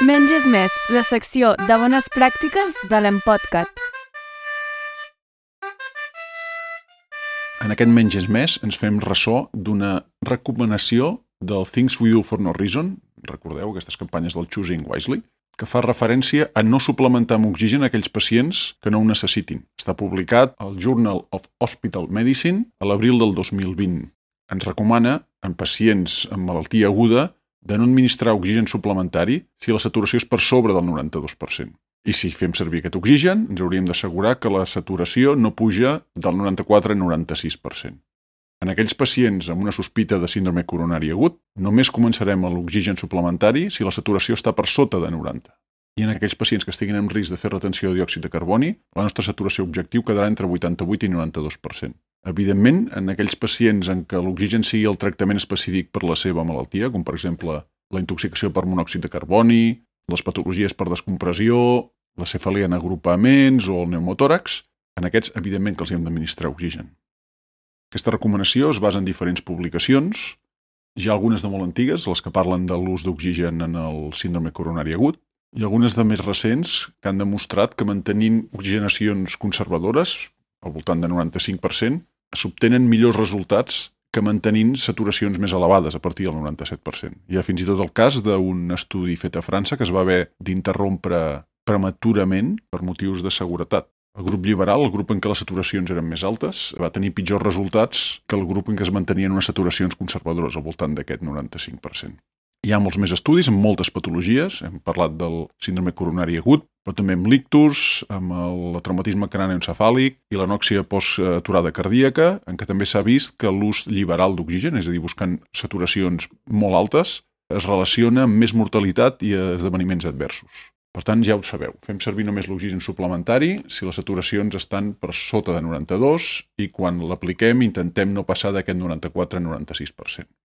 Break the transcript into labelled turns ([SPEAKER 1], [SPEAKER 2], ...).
[SPEAKER 1] Menys és més, la secció de bones pràctiques de l'Empodcat.
[SPEAKER 2] En aquest Menys és més ens fem ressò d'una recomanació del Things We Do for No Reason, recordeu aquestes campanyes del Choosing Wisely, que fa referència a no suplementar amb oxigen aquells pacients que no ho necessitin. Està publicat al Journal of Hospital Medicine a l'abril del 2020. Ens recomana, en pacients amb malaltia aguda, de no administrar oxigen suplementari si la saturació és per sobre del 92%. I si fem servir aquest oxigen, ens hauríem d'assegurar que la saturació no puja del 94 al 96%. En aquells pacients amb una sospita de síndrome coronari agut, només començarem l'oxigen suplementari si la saturació està per sota de 90. I en aquells pacients que estiguin en risc de fer retenció de diòxid de carboni, la nostra saturació objectiu quedarà entre 88 i 92%. Evidentment, en aquells pacients en què l'oxigen sigui el tractament específic per la seva malaltia, com per exemple la intoxicació per monòxid de carboni, les patologies per descompressió, la cefalia en agrupaments o el pneumotòrax, en aquests, evidentment, que els hem d'administrar oxigen. Aquesta recomanació es basa en diferents publicacions. Hi ha algunes de molt antigues, les que parlen de l'ús d'oxigen en el síndrome coronari agut, i algunes de més recents que han demostrat que mantenint oxigenacions conservadores, al voltant de 95%, s'obtenen millors resultats que mantenint saturacions més elevades a partir del 97%. Hi ha fins i tot el cas d'un estudi fet a França que es va haver d'interrompre prematurament per motius de seguretat. El grup liberal, el grup en què les saturacions eren més altes, va tenir pitjors resultats que el grup en què es mantenien unes saturacions conservadores, al voltant d'aquest 95%. Hi ha molts més estudis amb moltes patologies. Hem parlat del síndrome coronari agut, però també amb l'ictus, amb el traumatisme cranioencefàlic i l'anòxia post-aturada cardíaca, en què també s'ha vist que l'ús liberal d'oxigen, és a dir, buscant saturacions molt altes, es relaciona amb més mortalitat i esdeveniments adversos. Per tant, ja ho sabeu, fem servir només l'oxigen suplementari si les saturacions estan per sota de 92 i quan l'apliquem intentem no passar d'aquest 94 a 96%.